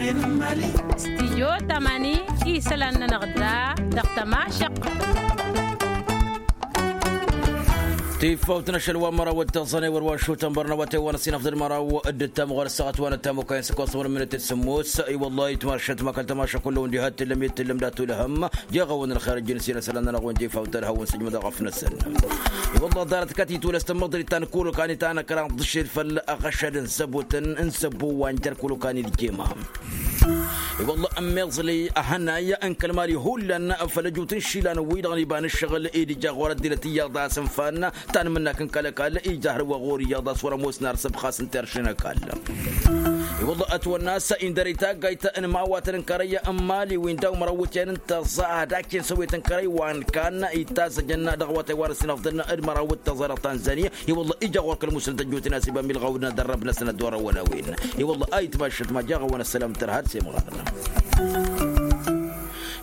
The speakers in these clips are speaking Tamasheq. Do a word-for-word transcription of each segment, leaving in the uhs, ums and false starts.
Stijyo tamani isălan-nănăɣ da dăɣ-tămašăq. Tifawt n-ašăl wa n-măraw d-taẓăne wăr wa n-šutăn bărnăwăte wa n-asinăfḍăd măraw d-ǝttam ɣur-ăssaɣăt wa n-ǝttam okăyăn s-ăkkoẓ wăr n-minut d-sǝmmos. I-wăllah itmašăt ma kăl-tămašăq kullăwăn diha t-tǝllăm i-t-tǝllăm d-atulăhăm. Jaɣ-awăn ălxer ǝjjǝn s-inăsălan-nănăɣ wa n-tifawt ad-hawăn-sǝjmădăɣ ăfnăsăn. I-wăllah ḍarăt kăt-itwălăs tămmăḍrit ta n-kul okani ta n-ăkra n-ḍǝšel făll-aɣăšad n-săbutăn n-săbbu wa n-jer-kul okani d-jema. I-wălla ămmiẓli ăhănay n-kăl-mali hullan făll-ăjut n-išilan-wi-dăɣ n-iba n-ǝššăɣǝl-i d-ija ɣur-ăddinăt iyyăḍ a-s ǝnfan ta n-imǝnnak n-kăl-ăkall ija hărwa ɣur-iyyăḍ a-s wăr-ămoosna ar săbxas n-terše n-ăkall. I-wălla ătwănna a-s indăr-i taggayt n-imawatăn n-kărăy n-mali-win daw-măraw iwǝtyan n-tăẓa ad-akken săwwet n-kărăy wa n-kan ittazăjăn dăɣ-awătay wa n-ăssinăfḍăn d-măraw d-tăẓa dăɣ-tanzania. I-wălla ija ɣur-kăl-musnăt ăjjootnen a-s iba milɣawdăn ad-ărrăbnăsăn ăddorăwăn a-wen. I-wălla a itmašăt ma jaɣ-awăn ăssălam tărha ad-semɣarăn.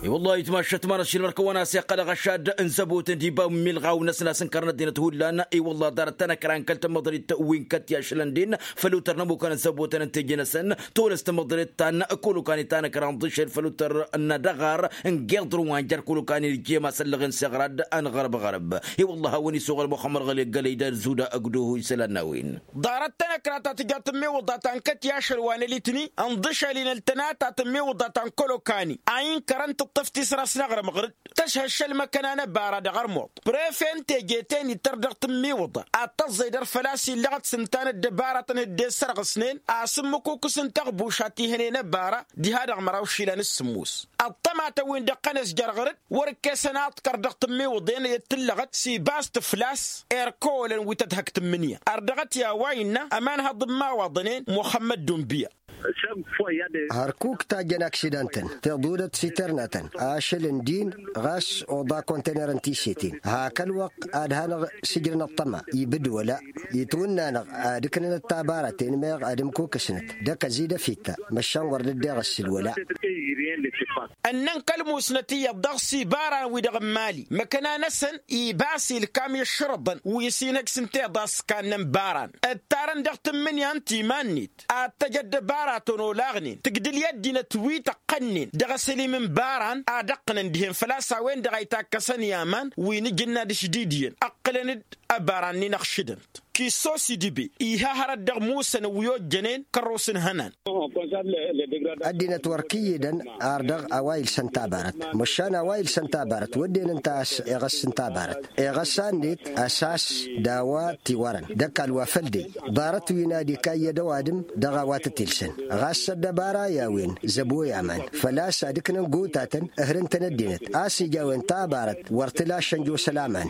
I-wălla a itmašăt ma n-ăššilmăr-kăwăn a-s iqqăl aɣăšad n-zăbotăn d-iba milɣaw-năsăn a-s ǝnkărăn ăddinăt hullan. I-wălla ḍarăt tanăkra n-kăl-tămăḍrit wi n-kăt-i ašălăn din făll-utăr n-ămmukăn n-zăbotăn n-teje-năsăn. Tolăs tămăḍrit ta n-kăl-okani tanăkra n-ḍǝšel făll-utăr n-ad-ăɣar n-geḍr wa n-jer-kăl-okani d-jema săllăɣen s-iɣrad. Anɣărb-ɣărb i-wălla a hawăn-isuɣăl muxămmăr ɣăli gălăy d-ad-zuda ăgduhu isălan n-a-wen. Ḍarăt tanăkra ta tǝja tǝmmiwǝḍa ta n-kăt-i ašăl wa n-ălitni ǝnḍǝšăl-in ăltăna ta tǝmmiwǝḍa ta n-kăl-okani a inkărăn tǝṭṭǝft isrăs n-aɣrǝm ɣǝr-dd tăšhăššăl măkăna n-ăbara dăɣ-ărmuḍ prefe n-teje-ten ittăr dăɣ-tǝmmiwǝḍa ad-tăẓẓăy dăr-făl-a-s illăɣăt s-ǝnta n-ăddăbaratăn hǝdden sărɣǝsnen a-s ǝmmǝkukǝs n-tăɣbušat ihănen ăbara diha dăɣ-măraw išilan s-sǝmmos. Ăṭṭămatăn-win-dăɣ tăn-ăzjăr ɣǝr-dd wăr-ǝkkesăn aḍkăr dăɣ-tǝmmiwǝḍen i-dd-tǝllăɣăt s-ibas tǝflas erkăwălăn wi tădhăk tǝmmǝnǝya. Ărdăɣăt i-a-wa innă ămanhăḍ n-imawaḍănen muxămmăd dunbǝya. Hărkuk tajjăn aksidantăn tiḍudăt s-iternătăn ašăl n-din ɣas oḍa kontener n-tisetin hak ălwăqq ad-hanăɣ-sǝjrǝn ăṭṭăma ibǝd wăla itwǝnna-năɣ ad-ǝknănăt tabaraten meɣ ad-ǝmkukǝsnăt d-ăkăzi d-afitta măšan wăr dd-deɣ ǝssǝl wăla. Ănnăn kăl-musnăt iyyăḍ dăɣ-s ibaran wi-dăɣ n-imali măkăna-năsăn ibas ilkam i-ǝššărǝḍăn wi s-inhăj s-ǝnta iḍa s-kannăn baran ǝttarăn dăɣ-tǝmmǝnǝya n-timan-net ad-tăj ăddăbaratăn olaɣnen tǝgdǝl i-ăddinăt wi tăqqănnen dăɣ-asălim n-baran ad-ăqqǝnăn dihen făl-a-s a-wen-dăɣ a itakkăsăn i-aman wi n-ajǝnna d-ašdidǝyăn ăqqǝlăn-dd ăbaran-nin ăɣšǝdăn-t. Kisso s-idǝbe iha hărăt dăɣ-musăn wi ojjănen kărros n-ihănan. Ăddinăt wăr kǝyyǝdăn ar dăɣ-a-wa ilsăn tabarăt măšan a-wa ilsăn tabarăt wădden ǝnta a-s iɣăs n-tabarăt iɣăs-annet ăsas d-a-wa tiwărăn d-ăkall wa făl dăy. Ḍarăt wi n-ad-ikayyăd ăwadǝm dăɣ-a-wa tăt-ilsăn ɣas ăddăbara i-a-wen zăbo i-aman făl-a-s ad-ǝknăn gotatăn ǝhrǝn-tăn ăddinăt a-s ija a-wen tabarăt wăr t-lašăn jos ălaman.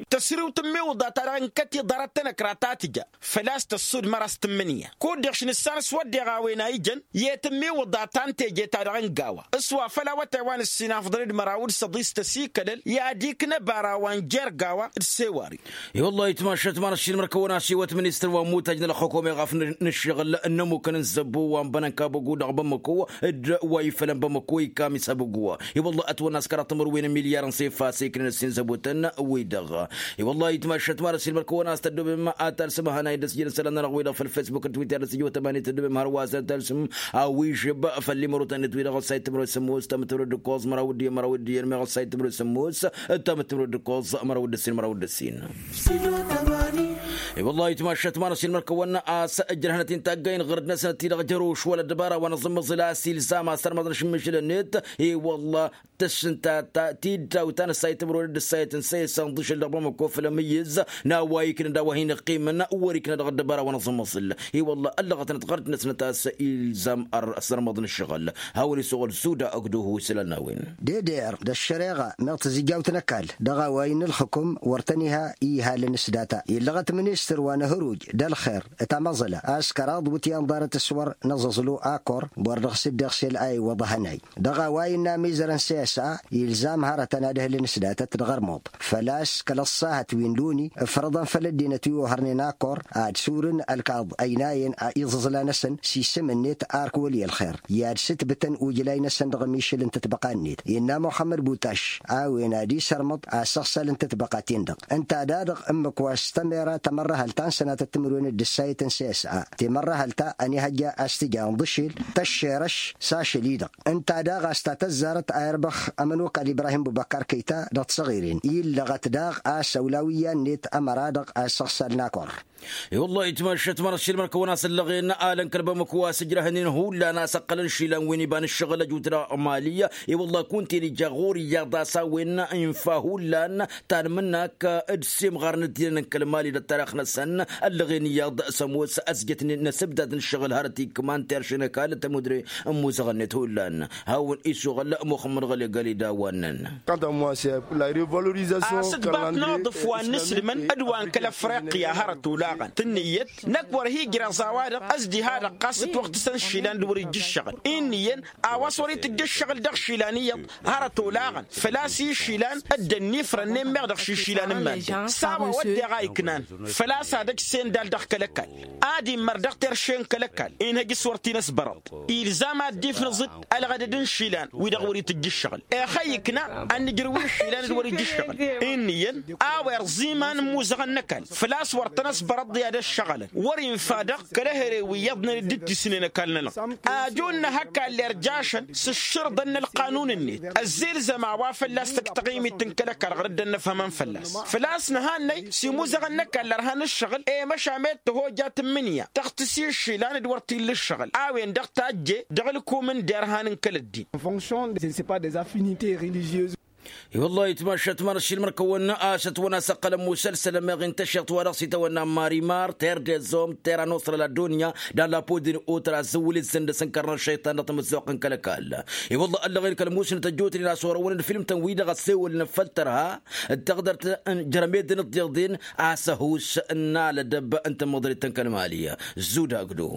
Tăsriwt n-imiwǝḍa-ta-dăɣ n-kăt-i ḍarăt tanăkra ta tǝja făl-a-s tăssud măra s-tǝmmǝnǝya kud-dăɣ š-nǝssan s-wădden a-wen a ijăn i-tǝmmiwǝḍa ta n-teje-ta-dăɣ n-gawa s-wa făl awătay wa n-ǝssin afḍăn d-măraw d-săḍis tăsikălăl i-ad-iknă bara wa n-jer-gawa d-sewari. I-wăllah itmašăt ma n-ăššilmăr-kăwăn-asiwăt ministăr wa n-mutaj n-ălxukum iɣaf n-ǝššăɣǝl n-ămmukăn n-zăbbu wa n-bănănka băgu dăɣ-bămmăko d-wa ifălăn bămmăko ikam isăbăggu wa. I-wăllah ătwănna s-kăraḍ timǝrwen n-milyar n-sefas iknăn ǝssin zăbutăn-wi-dăɣ. I-wăllah itmašăt ma n-ăššilmăr-kăwăn-as tăddobem ad-talsǝm ahănay d-ăsjăl isălan-nănăɣ-wi-dăɣ făll-fesbuk d-twitter d-ăsjăl wa tămanet tăddobem hărwa s-ad-talsǝm a-wi žăb făll-imărotăn-net wi-dăɣ ăssayt timǝrwen s-ămoos tamǝtmărwen d-ǝkkoẓ măraw d-iyyăn măraw d-iyyăn meɣ ăssayt timǝrwen s-ămoos d-tamǝtmărwen d-ǝkkoẓ măraw d-ǝssin măraw d-ǝssin. I-wăllah itmašăt ma n-ăssin mărkăwăn a-s ǝjrăhnăt-in taggăyăn ɣǝrǝd-năsnăt-ti-dăɣ jăroš wăla ăddăbara wa n-aẓǝmmăẓǝl a-s ilzam a-s tărmăḍăn ašǝmmǝžǝl-net. I-wăllah tăššǝnta ta tiddaw ta n-ăssayăt timǝrwen d-ăssayăt n-săyăs ănḍǝšăl dăɣ-bamăko făll-amǝyyǝz n-a-wa iknăn d-a-wa hin-ǝqqimăn wăr-iknăn dăɣ-ăddăbara wa n-aẓǝmmăẓǝl. I-wăllah ăllăɣătnăt ɣărăt-năsnăt a-s ilzam ăr-sărmăḍ n-ǝššăɣǝl. Hawăn-isăɣăl zuda ăgg-duhu isălan n-a-wen. Dede-dăr d-ăššăreɣa meɣ tǝzǝjjawt n-ăkall dăɣ-a-wa innă ǝlxǝkum wăr tăn-iha i-ihalăn s-data illăɣăt ministăr wa n-ahăruj d-ălxer. Tamăẓăla a-s kăraḍ wǝtyan ḍarăt s-wăr năẓẓăẓlu akor wăr dăɣ-s dd-iɣsel a iwwăḍ ahănay dăɣ-a-wa innă amizărăn s-e-s s-a ilzam hărătăn ad-ǝhlǝn s-datăt dăɣ-ărmuḍ. Făl-a-s kăl-ăṣṣahăt wi n-luni ǝfrăḍăn făll-ăddinăt wi ohărnen akor ad-surǝn ălkaḍ ăynayăn iẓǝẓla-năsăn s-isǝm-net ark wăli ălxer i-ad-sǝtbǝtăn ujlay-năsăn dăɣ-ămišǝl n-tătbăqa-net. Innă muxămmăd butaš a-wen ad-isărmăḍ asăɣsal n-tătbăqa-ten-dăɣ ǝnta daɣ ǝmmǝk wa s-tămera tamărrăhălt ta n-sănatăt timǝrwen d-ǝssayăt n-sesa timărrăhălt ta ănihăjja a-s tǝja ǝnḍǝšel tăššerăš s-ašăl-i-dăɣ. Ǝnta daɣ a-s ta tăzzarăt a irbăx ămănokal ibrahim bubăkar kăyta dăɣ-tisăɣiren illăɣăt daɣ a-s ăwlaw iyyăn-net ămăra-dăɣ a issăɣsal n-akor. I-wăllah itmăššăt măra s-ilmăn kăwăn-asăllăɣen alăn kăl-bămăk wa s-ǝjrăhnen hullan a-s ăqqălăn išilan wi n-iba n-ǝššăɣǝl ăjut dăɣ-mali. I-wăllah kunta-en ija ɣur-iyyăḍ a-s a-wen infa hullan tanmǝnnak d-semɣarăn ăddinăn n-kăl-mali d-ăttarix-năsăn. Ăllăɣen iyyăḍ s-ămoos ăsjătnen n-asǝbdad n-ǝššăɣǝl hărăt ikman teršen ăkall tămudre n-imuzăɣăn-net hullan. Hawăn-isuɣǝl muxămmăd ɣălegali d-a-wa ǝnnăn. A-s ǝḍbat n-aḍǝf wa n-inǝslǝmăn d-wa n-kăl-afriqya hărăt olaɣăn tǝnnǝyyăt năkk wăr hi-ǝjreẓ a-wa-dăɣ ăzdiha dăɣ-ɣas ǝtwăɣtǝsăn išilan d-wăr-ija ǝššăɣǝl. Innă iyyăn a-wa s-wăr-itǝjj ǝššăɣǝl dăɣ-išilan iyyăḍ hărăt olaɣăn făl-a-s išilan dd-ănnifrăn n-emmeɣ dăɣ-išilan n-iman-dăɣ s-a-wa wădden a iknan făl-a-s ad-ăj sendal dăɣ-kăl-ăkall ad-immăr dăɣ-terše n-kăl-ăkall inhăj s-wăr t-in-ăsbărăḍ. Ilzam ad-dd-ifnǝẓ-dd ălɣădăd n-išilan wi-dăɣ wăr-itǝjj ǝššăɣǝl. Ex a ikna ad-nǝjrǝw i-išilan d-wăr-ija ǝššăɣǝl. Innă iyyăn a-wa irẓ iman n-imuzăɣăn n-ăkall făl-a-s wăr tăn-ăsbărăḍ i-ad-ăššăɣǝlăn wăr-infa dăɣ-kăl-ehăre wi iyyăḍnen dd-dd-isnen ăkall-nănăɣ. Ajun n-ehăkall irjašăn s-ǝššǝrǝḍăn n-ălqanun-net ăzzilzăm a-wa fălla-s tăkk taɣimit n-kăl-ăkall ɣur-dd ănnăfhămăn fălla-s făl-a-s nǝhannăy s-imuzăɣăn n-ăkall ărhan ǝššăɣǝl i-măšan med tăhojat n-imǝnya tăɣtǝs i-išilan d-wăr t-illa ǝššăɣǝl a-wen-dăɣ tajje dăɣ-ǝlkum n-derhan n-kăl-ăddin. I-wăllah itmašat măr ăššilmăr-kăwăn a-s ătwăn-asăqqălăn musălsăl ămeɣ n-tašeɣt wa dăɣ-s itawănna marimar ter dezom tera n-osrăl ăddunya d-alapodin otra zǝwǝl-i d-săndăs n-kărnăr šăytan dăɣ-tamǝzzuɣt n-kăl-ăkall. I-wăllah ăllăɣen kăl-musǝnăt ăjjootnen a-s orăwăn d-film-tăn-wi-dăɣ ăssewălnen făll-tărha d-taɣdărt n-jărmedăn ǝḍḍeḍen a-s ăhuus n-alădăb n-tamăḍrit n-kăl-mali. Zuda agdo.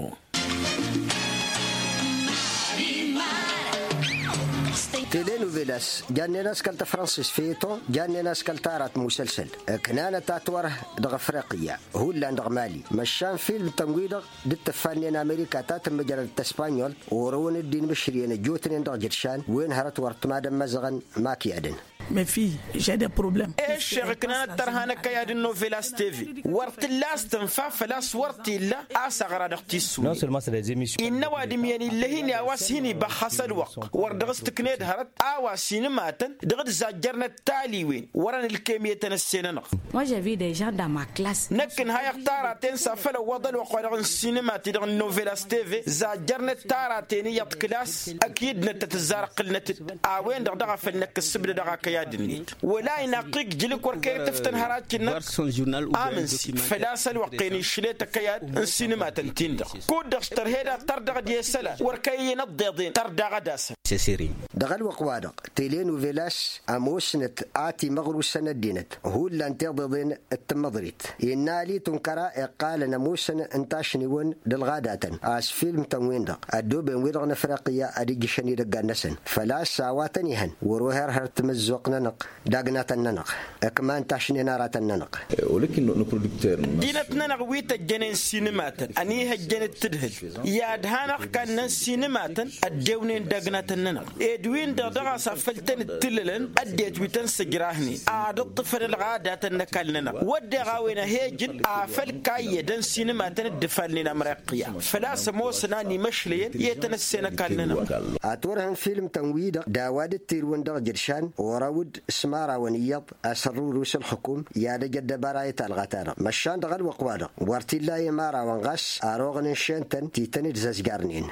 Telenuvelas jannen a-s kăl-tafransist feto jannen a-s kăl-tarat musălsăl ǝknanăt atwărh dăɣ-afriqya hullan dăɣ-mali măšan film-tăn-wi-dăɣ d-ǝttǝffannen amerika ta tǝmmǝjrăd d-tăspanyolt orăwăn dd-inmǝšrǝyăn ăjjootnen dăɣ-jǝdšan wen hărăt wăr t-mad-ămmăzăɣăn. Makiyadăn. Mes fi žede problem. Eššeɣ ǝknanăt tărha n-ăkkăyad n-novelas teve wăr t-illa a-s tǝnfa făl-a-s wăr t-illa a-s ăɣra dăɣ-tissunen. Innă ăwadǝm iyyăn illăh-in i-a-wa s-hin-ibăxxas ălwăqq wăr dăɣ-s tǝkned hărăt a-wa sinǝmatăn dăɣ-dd-zajjărnăt taliwen wărăn ǝlkem i-tăn-ăssenănăɣ. Năkk ǝnhayăɣ taraten s-afăl ăwwăḍ ălwăqq-wa-dăɣ n-sinǝmat-i-dăɣ n-novelas teve zajjărnăt taraten iyyăḍ kǝlas ăkidnăt tăt-ǝzzar ǝqqǝlnăt-dd a-wen-dăɣ daɣ a făl năkk ǝssǝbdădăɣ akăyad-net wăla inaqqi ǝjjǝlǝk wăr kăy-tǝftăn hăracǝnnăt. Amǝnsi făl-a-s ălwăqq-en išlet ăkăyad n-sinǝmatăn-tin-dăɣ kud-dăɣ s-tărhed ad-tărdăɣ d-i-isălan wăr kăy-iyyăn ăḍḍeḍen tărdaɣ ad-asăn. Dăɣ-ălwăqq-wa-dăɣ telenuvelas ămoosnăt a timăɣrusăn ăddinăt hullan tiḍeḍen d-tǝmmăḍrit innă ali tunkăra iqqalăn ămoosăn n-tašniwăn d-ălɣadatăn a-s film-tăn-win-dăɣ ăddooben-wi-dăɣ n-afriqya ad-ǝjjǝšăn idăggan-năsăn făl-a-s a-wa tăn-ihăn wăr-oher hărăt timǝzzuɣt-nănăɣ. Dagnatăn-nănăɣ ǝkman tašnen aratăn-nănăɣ. Dinăt-nănăɣ wi tăjjănen sinǝmatăn ănihăjjăn d-tadhǝlt i-ad-hanăɣ-kannăn sinǝmatăn ăddewnen dagnatăn-nănăɣ ed win-dăɣ daɣ a-s afăl tăn-ǝttǝllălăn ăddinăt wi tăn-sǝjrahnen ad-ǝṭṭǝfăn ălɣadatăn n-ăkall-nănăɣ wădden a-wen ăhejǝd afăl kayyădăn sinǝmatăn dd-ǝfalnen amriqya făl-a-s ămoosăn a n-imăšlăyăn i-tăn-ăssen ăkall-nănăɣ. Ad-t-wărhăn film-tăn-wi-dăɣ d-a-wa dd-tirǝwăn dăɣ-jǝršan ɣur-awǝd s-imărawăn iyyăḍ a-s ărrurus ălxǝkum i-ad-ăj ăddăbara i-talɣa-ta-dăɣ măšan dăɣ-ălwăqq-wa-dăɣ wăr t-illa i-imărawăn ɣas ar oɣăn n-išen-tăn ti tăn-dd-zăzjarnen.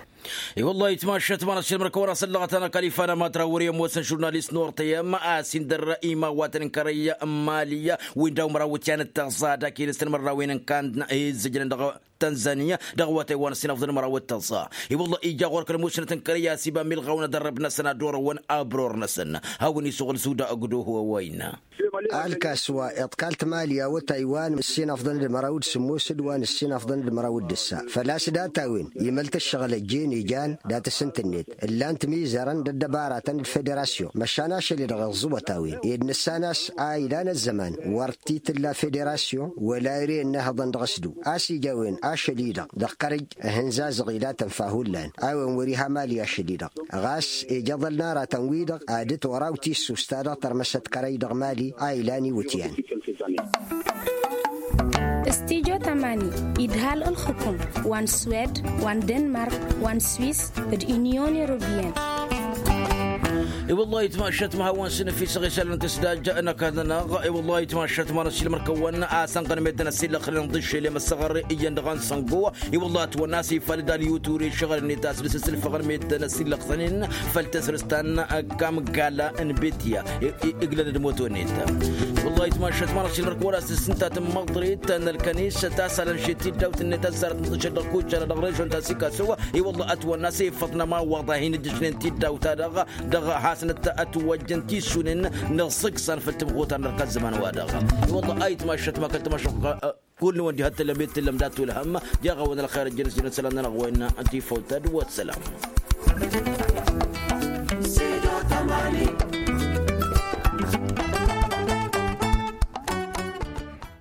I-wăllah itmašat măra s-ilmăr-kăwăn-asăllăɣăt-anăɣ kăl-ifa n-amatrawăr i-ămoosăn žurnalist n-ortăyăm a-s indăr imawatăn n-kărăy n-mali wi n-daw-măraw tiyan d-tăẓẓa dak-i n-ǝstăn mărrawen n-kand izzǝjnăn dăɣ-tănzaniya dăɣ-awătay wa n-ăssinăfḍăn măraw d-tăẓẓa. I-wăllah ija ɣur-kăl-musnăt n-kărăy a-s iba milɣaw n-adărrăb-năsăn ad-orăwăn abror-năsăn hawăn-isuɣǝl suda ăgg-doho a-wa innă. Alkas wa iḍkal timali awătay wa n-ǝssin afḍăn d-măraw d-sǝmmos d-wa n-ǝssin afḍăn d-măraw d-ǝssa făl-a-s data-wen imăl-t ǝššăɣǝl ăjjeen ijan. Dat-asǝntǝnnet ǝllan-t mizărăn d-ăddăbaratăn d-federasyon măšan ašăl-i-dăɣ iẓẓǝwăt a-wen ed nǝssan a-s a ilan ăzzăman wăr t-tǝlla federasyon wăla ere ănnihăḍăn dăɣ-s-du. A-s ija a-wen ašăl-i-dăɣ dăɣ-kărăj. Ihǝnzazăɣ ilatăn fa hullan a-wen wăr-iha mali ašăl-i-dăɣ ɣas ija ăḍălna aratăn-wi-dăɣ ad-dd-wăraw tissust-ta-dăɣ tărmăsăt kărăy dăɣ-mali a ilan iwǝtyan. Stijo tamani idhal ǝlxǝkum wa n-swed wa n-denmark wa n-swis d-inyon europiyăn. I-wăllah itmašat ma hawăn-sǝnǝfisăɣ isălan tǝsdaj n-ăkall-nănăɣ. I-wăllah itmašat ma n-ăsilmăr-kăwăn a-s ănɣăn meddǝn ăsillăxnen d-ašăl i-măssăɣăr iyyăn dăɣ-ănsăngo. I-wăllah ătwănna a-s ifalăd alyu ture išăɣăl-net a-s dăr-s ăsǝlfăɣăn meddǝn ăsillăxnen făll-tasrǝst ta n-ăkkamgala n-betya. Iglăn-dd moto-net. Wăllah itmašat ma n-ăsilmăr-kăwăn a-s tǝssǝntat n-măḍrit n-ălkănis tasalăn šet tiddawt-net ăzzarăt n-tǝšăt dăɣ-kucala dăɣ-režon ta s-ikaso. I-wăllah ătwănna a-s iffăḍ n-ămawaḍ a hin-ǝddǝšnen tiddaw-ta-dăɣ dăɣ-hasnăt ătwăjjăn tisunen n-ăṣṣǝksan făll-tǝmɣutar n-ărka ăzzăman-wa-dăɣ. I-wălla a itmašat ma kăl-tămašăɣ. Kull-năwăn diha t-tǝllăm i-t-tǝllăm dat-tulhăm. Jaɣ-awăn ălxer ăjjăn s-jăn isălan-nănăɣ wa innă tifăw-ta d-wa ăssălam. Sido tamani.